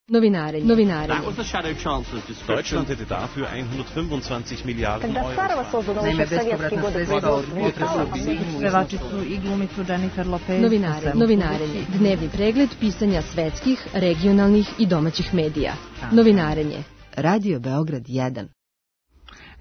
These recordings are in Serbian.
Novinarenje. Deutschland hätte dafür 125 Milliarden Euro. Naime, bespovratna sredstva od pevačicu i glumicu Jennifer Lopez. Novinarenje. Dnevni pregled pisanja svetskih, regionalnih i domaćih medija. Novinarenje. Radio Beograd 1.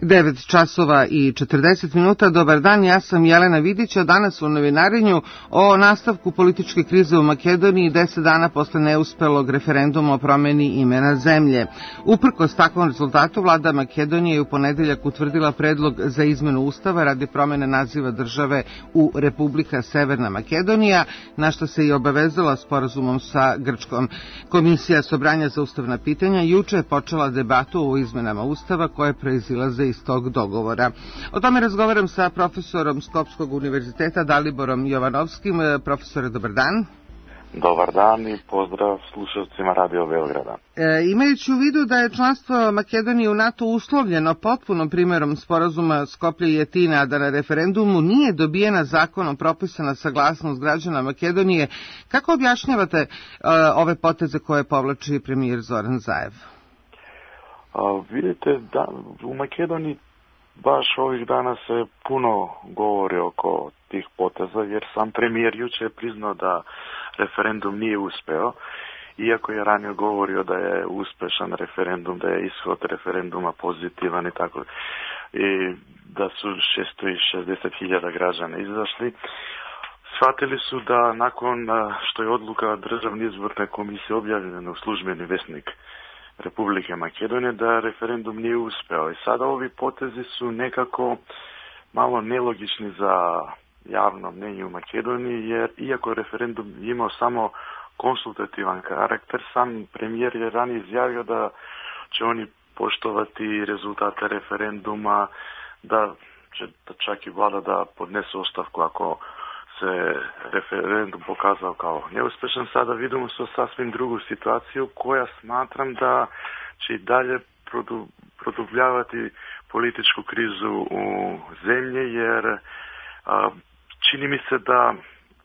9 časova i 40 minuta. Dobar dan, ja sam Jelena Vidić, a danas u novinarenju o nastavku političke krize u Makedoniji 10 dana posle neuspelog referenduma o promeni imena zemlje. Uprkos takvom rezultatu, vlada Makedonije je u ponedeljak utvrdila predlog za izmenu ustava radi promene naziva države u Republika Severna Makedonija, na što se i obavezala sporazumom sa Grčkom. Komisija Sobranja za ustavna pitanja juče je počela debatu o izmenama ustava koje proizilaze iz tog dogovora. O tome razgovaram sa profesorom Skopskog univerziteta Daliborom Jovanovskim. Profesore, dobar dan. Dobar dan i pozdrav slušalcima Radio Beograda. Imajući u vidu da je članstvo Makedonije u NATO uslovljeno potpunom primjerom sporazuma Skoplje i Atina, a da na referendumu nije dobijena zakonom propisana saglasnost građana Makedonije, kako objašnjavate ove poteze koje povlači premijer Zoran Zaev? Vidite, da u Makedoniji baš ovih dana se puno govori oko tih poteza, jer sam premijer juče je priznao da referendum nije uspeo, iako je ranije govorio da je uspešan referendum, da je ishod referenduma pozitivan i tako, i da su 660.000 građana izašli. Shvatili su da nakon što je odluka Državne izborne komisije objavljena u službeni vesnik Republike Makedonije, da referendum nije uspeo. I sada ovi potezi su nekako malo nelogični za javno mnenje u Makedoniji, jer iako referendum imao samo konsultativan karakter, sam premijer je ranije izjavio da će oni poštovati rezultate referenduma, da će čak i vlada da podnese ostavku ako se referendum pokazao kao neuspešan. Sada vidimo se sasvim drugu situaciju koja smatram da će i dalje produbljavati političku krizu u zemlji, jer čini mi se da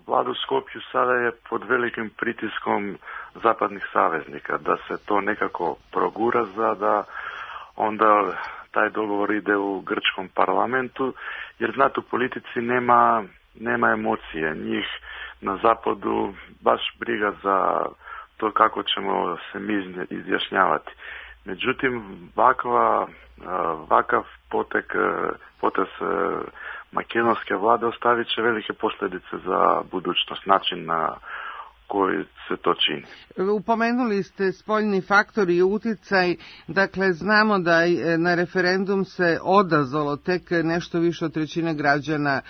vlada u Skopju sada je pod velikim pritiskom zapadnih saveznika, da se to nekako progura za da onda taj dogovor ide u grčkom parlamentu, jer znate, u politici nema emocije. Njih na zapadu baš briga za to kako ćemo se mi izjašnjavati. Međutim, vakav potez makedonske vlade ostavit će velike posljedice za budućnost, način na koji se to čini. Upomenuli ste spoljni faktor i uticaj, dakle znamo da na referendum se odazvalo tek nešto više od trećine građana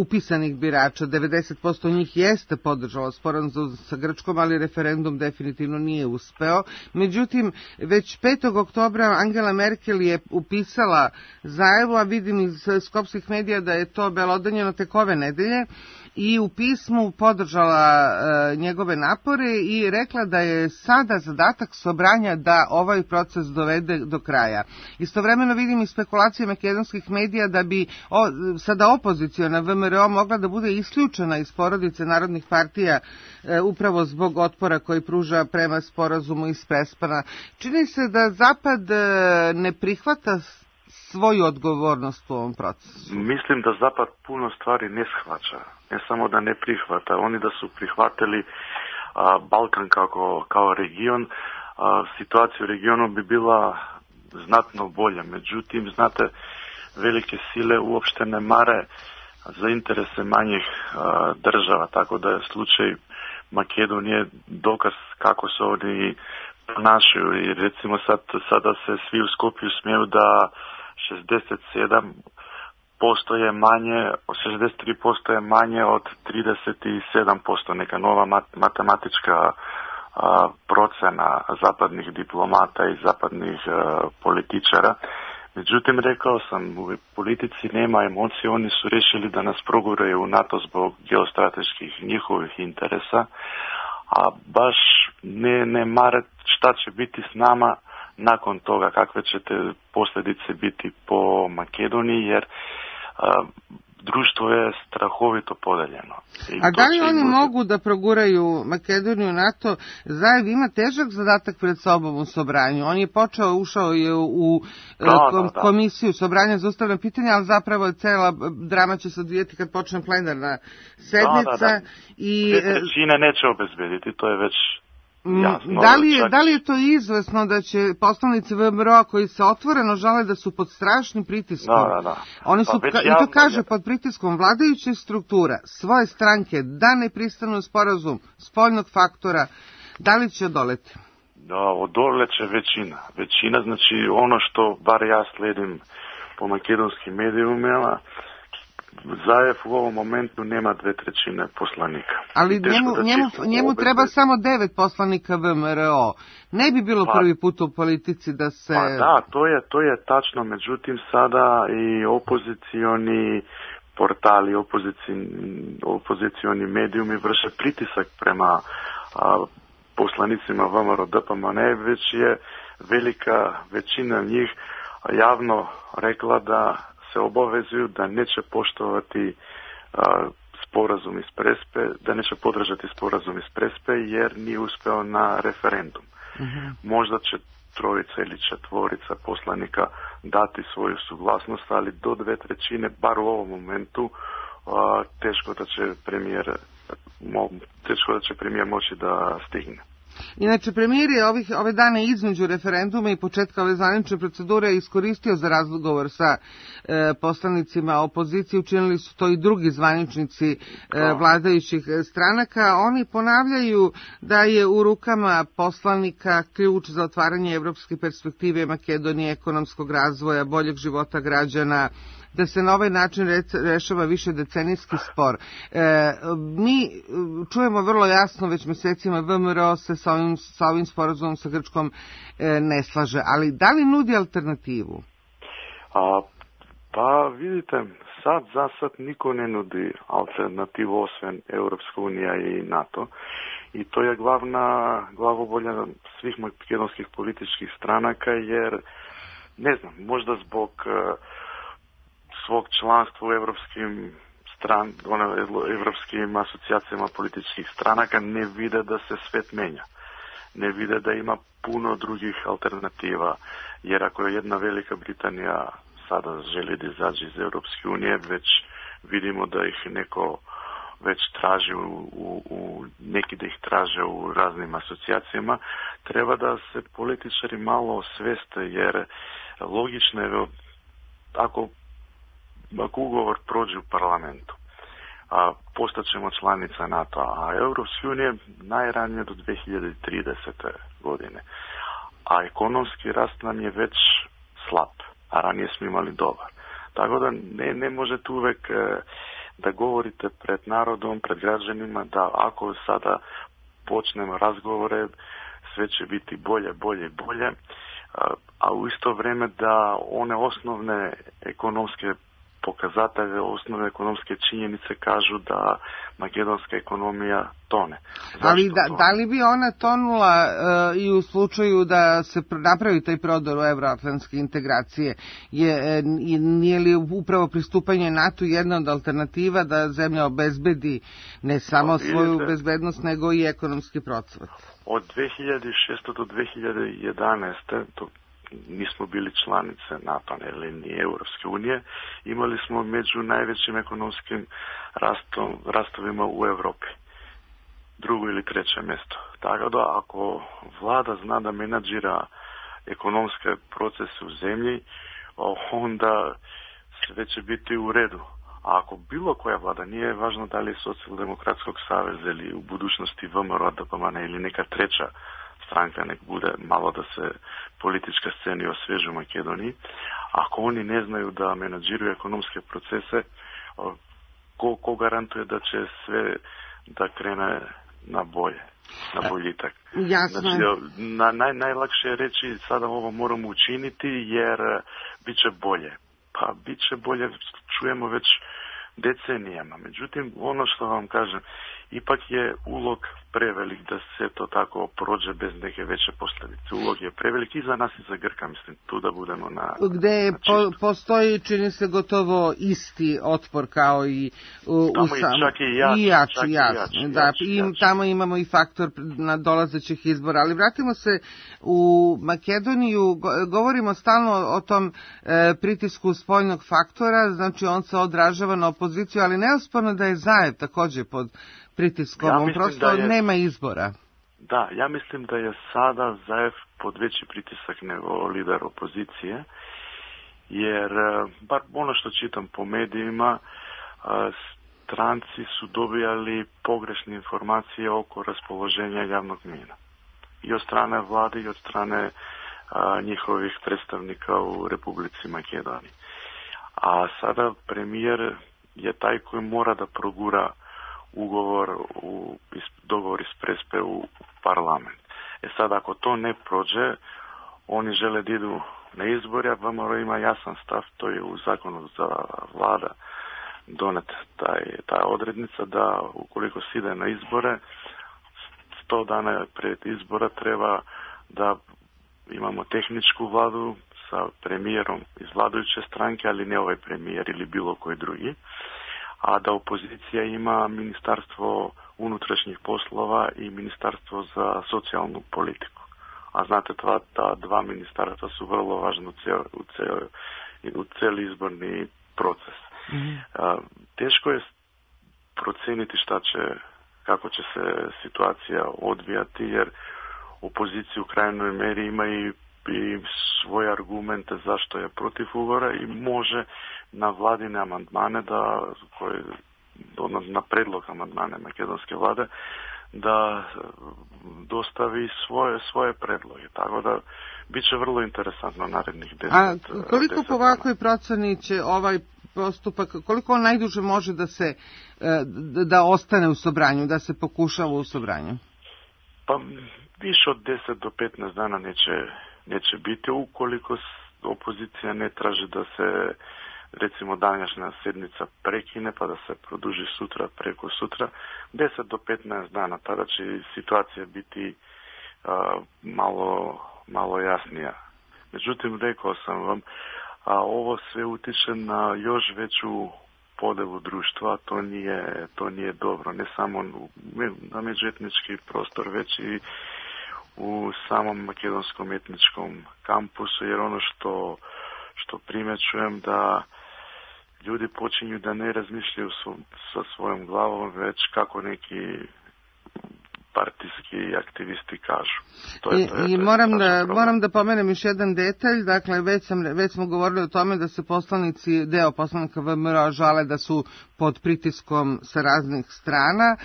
upisanih birača, 90% njih jeste podržalo sporazum sa Grčkom, ali referendum definitivno nije uspeo. Međutim, već 5. oktobra Angela Merkel je upisala Zaevu, a vidim iz skopskih medija da je to belodanjeno tek ove nedelje, i u pismu podržala njegove napore i rekla da je sada zadatak Sobranja da ovaj proces dovede do kraja. Istovremeno vidim i spekulacije makedonskih medija da bi sada opoziciona VMRO mogla da bude isključena iz porodice narodnih partija upravo zbog otpora koji pruža prema sporazumu iz Prespana. Čini se da Zapad ne prihvata svoju odgovornost u ovom procesu. Mislim da Zapad puno stvari ne shvaća. Ne samo da ne prihvata, oni da su prihvatili Balkan kao region, situacija u regionu bi bila znatno bolja. Međutim, znate, velike sile uopšte ne mare za interese manjih država, tako da je slučaj Makedonije dokaz kako se oni ponašaju. I recimo sada se svi u Skopju smiju da 67% je manje, 63% je manje od 37%, neka nova matematička procena zapadnih diplomata i zapadnih političara. Međutim, rekao sam, u politici nema emocije, oni su rešili da nas proguraju u NATO zbog geostrateških njihovih interesa, a baš ne mare šta će biti s nama nakon toga, kakve će te posljedice biti po Makedoniji, jer društvo je strahovito podeljeno. A da li oni mogu da proguraju Makedoniju NATO? Zajev ima težak zadatak pred sobom u Sobranju. On je ušao je u komisiju Sobranja za ustavna pitanja, ali zapravo cela drama će se odvijeti kad počne plenarna sednica. I 2/3 neće obezbediti, to je već jasno. Da li je to izvesno da će poslanici VMRO koji se otvoreno žale da su pod strašnim pritiskom? Oni su, i to kaže, pod pritiskom vladajućih struktura, svoje stranke, da ne pristanu u sporazum spoljnog faktora, da li će odoleti? Da, odoleće većina. Većina, znači ono što bar ja sledim po makedonskim medijima, Zajev u ovom momentu nema 2/3 poslanika. Ali njemu treba samo 9 poslanika VMRO. Ne bi bilo prvi put u politici da se... Pa da, to je tačno, međutim sada i opozicioni portali, opozicioni medijumi vrše pritisak prema poslanicima VMRO DPMNE, već je velika većina njih javno rekla da se obavezuju da neće poštovati sporazum iz Prespe, da neće podržati sporazum iz Prespe jer nije uspeo na referendum. Možda će 3 ili 4 poslanika dati svoju suglasnost, ali do 2/3, bar u ovom momentu, teško da će premijer moći da stigne. Inače, premijer je ove dane između referenduma i početka ove zvanične procedure iskoristio za razgovor sa poslanicima opozicije. Učinili su to i drugi zvaničnici vladajućih stranaka. Oni ponavljaju da je u rukama poslanika ključ za otvaranje evropske perspektive Makedonije, ekonomskog razvoja, boljeg života građana, da se na ovaj način rešava više decenijski spor. Mi čujemo vrlo jasno već mesecima VMRO se sa ovim sporazumom sa Grčkom ne slaže, ali da li nudi alternativu? Pa vidite, za sad niko ne nudi alternativu osim Europska unija i NATO. I to je glavobolja svih makedonskih političkih stranaka, jer ne znam, možda zbog svog članstva u evropskim asocijacijama političkih stranaka ne vide da se svet menja. Ne vide da ima puno drugih alternativa, jer ako je jedna Velika Britanija sada želi da izađe iz Europske unije, već vidimo da ih neko već traži neki da ih traže u raznim asocijacijama, treba da se političari malo osveste, jer logično je ako ugovor prođe u parlamentu, postaćemo članica NATO, a Europske unije najranije do 2030. godine. A ekonomski rast nam je već slab, a ranije smo imali dobar. Tako da ne možete uvek da govorite pred narodom, pred građanima, da ako sada počnemo razgovore, sve će biti bolje, bolje i bolje, a u isto vrijeme da one osnovne ekonomske pokazatelje, osnovne ekonomske činjenice kažu da makedonska ekonomija tone. Ali da li bi ona tonula i u slučaju da se napravi taj prodor u euroatlantske integracije? Nije li upravo pristupanje NATO jedna od alternativa da zemlja obezbedi ne samo svoju bezbednost, nego i ekonomski procvat? Od 2006. do 2011. nismo bili članice NATO ili ni Europske unije, imali smo među najvećim ekonomskim rastovima u Europi. 2. ili 3. mjesto. Tako da ako vlada zna da menadžira ekonomske procese u zemlji, onda sve će biti u redu. A ako bilo koja vlada, nije važno da li je Socijaldemokratskog saveza ili u budućnosti VMRO DPMNE ili neka treća stranka, nek bude malo da se politička scena osvježi u Makedoniji. Ako oni ne znaju da menadžiraju ekonomske procese, ko garantuje da će sve da krene na bolje, na boljitak? Jasno. Znači, najlakše je reći sada ovo moramo učiniti jer bit će bolje. Pa bit će bolje, čujemo već decenijama. Međutim, ono što vam kažem, ipak je ulog prevelik da se to tako prođe bez neke veće posljedice. ulog je prevelik i za nas i za Grka, mislim, tu da budemo na... Gde postoji, čini se, gotovo isti otpor kao i čak i jači. Da, tamo imamo i faktor nadolazećih izbora. Ali vratimo se u Makedoniju, govorimo stalno o tom pritisku spoljnog faktora, znači on se odražava na opoziciju, ali neosporno da je Zaev također pod pritiskom, on prosto nema izbora. Da, ja mislim da je sada Zaev pod veći pritisak nego lider opozicije, jer, bar ono što čitam po medijima, stranci su dobijali pogrešne informacije oko raspoloženja javnog mnjenja. I od strane vlade i od strane njihovih predstavnika u Republici Makedoniji. A sada premijer je taj koji mora da progura dogovor iz Prespe u parlament. Sad, ako to ne prođe, oni žele da idu na izbore, a VMRO ima jasan stav, to je u zakonu za vlada donet ta odrednica da ukoliko se ide na izbore, 100 dana pred izbora treba da imamo tehničku vladu sa premijerom iz vladajuće stranke, ali ne ovaj premijer ili bilo koji drugi, a da opozicija ima ministarstvo unutrašnjih poslova i ministarstvo za socijalnu politiku. A znate, ta dva ministarstva su vrlo važna u cijeli izborni proces. Teško je procijeniti kako će se situacija odvijati, jer opozicija u krajnjoj meri ima i svoje argumente zašto je protiv ugovora i može na vladine amandmane na predlog amandmane makedonske vlade da dostavi svoje predloge. Tako da bit će vrlo interesantno narednih 10 A koliko po ovakvoj proceni će ovaj postupak, koliko on najduže može da ostane u Sobranju, da se pokušava u Sobranju? Pa više od 10 do 15 dana neće biti, ukoliko opozicija ne traži da se recimo današnja sjednica prekine pa da se produži sutra, preko sutra, 10 do 15 dana, tada će situacija biti malo jasnija. Međutim, rekao sam vam, ovo sve utiče na još veću podelu društva, to nije dobro, ne samo na međuetnički prostor, već i u samom makedonskom etničkom kampusu, jer ono što primjećujem da ljudi počinju da ne razmišljaju sa svojom glavom, već kako neki partijski aktivisti kažu. Moram da pomenem još jedan detalj, dakle već smo govorili o tome da se deo poslanika VMRO žale da su pod pritiskom sa raznih strana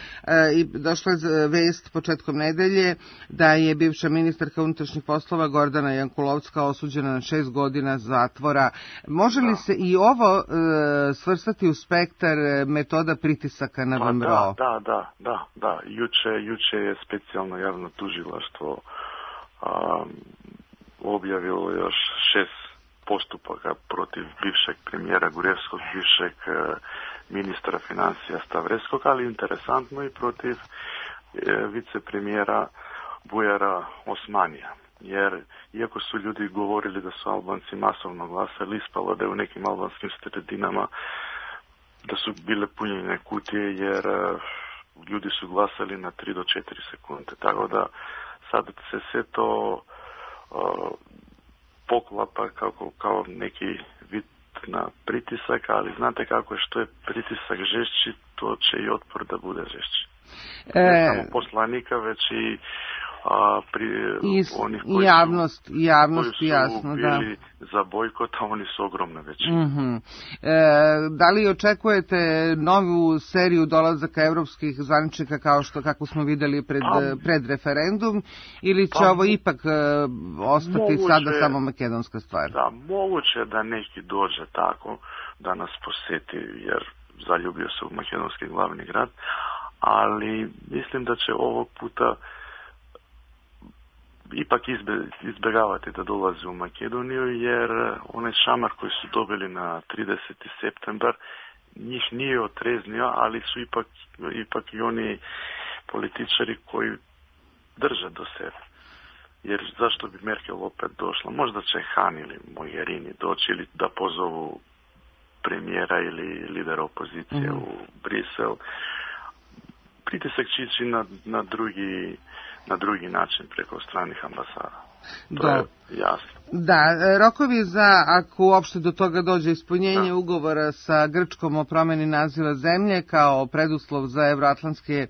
i došla je vest početkom nedelje da je bivša ministarka unutrašnjih poslova Gordana Jankulovska osuđena na 6 godina zatvora. Može li se i ovo svrstati u spektar metoda pritisaka na VMRO? Da. Juče je specijalno javno tužilaštvo objavilo još 6 postupaka protiv bivšeg premijera Gurevskog, bivšeg ministra financija Stavreskog, ali interesantno i protiv vicepremijera Bujara Osmanija. Jer iako su ljudi govorili da su Albanci masovno glasali, ispalo da je u nekim albanskim sredinama da su bile punjene kutije, jer ljudi su glasali na 3 do 4 sekunde. Tako da sad se sve to poklapa kao neki vid na pritisak, ali znate kako je, što je pritisak žešći, to će i otpor da bude žešći. Ne samo poslanika, već i onih koji su jasno, bili za bojkot, a oni su ogromne većine. Mm-hmm. Da li očekujete novu seriju dolazaka evropskih zvaničnika kako smo vidjeli pred referendum, ili će ovo ipak ostati sada samo makedonska stvar? Da, moguće da neki dođe tako da nas posjeti, jer zaljubio se u makedonski glavni grad, ali mislim da će ovog puta ipak izbjegavati da dolazi u Makedoniju, jer onaj šamar koji su dobili na 30. septembar njih nije otreznio, ali su ipak i oni političari koji drže do sebe. jer zašto bi Merkel opet došla? Možda će Han ili Mogherini doći ili da pozovu premijera ili lidera opozicije u Brisel. Pritisak će ići na drugi način preko stranih ambasada. To je jasno. Da, rokovi za, ako uopšte do toga dođe, ispunjenje ugovora sa Grčkom o promeni naziva zemlje kao preduslov za evroatlantske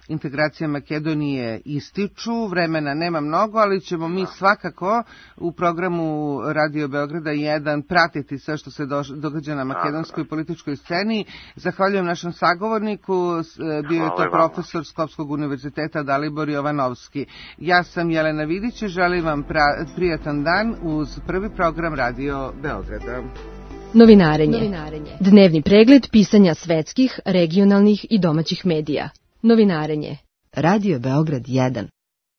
integracije Makedonije ističu. Vremena nema mnogo, ali ćemo mi svakako u programu Radio Beograda 1 pratiti sve što se događa na makedonskoj političkoj sceni. Zahvaljujem našem sagovorniku, bio je to profesor Skopskog univerziteta Dalibor Jovanovski. Ja sam Jelena Vidić i želim vam prijatan dan uz prvi program Radio Beograda. Novinarenje. Dnevni pregled pisanja svetskih, regionalnih i domaćih medija. Novinarenje. Radio Beograd 1.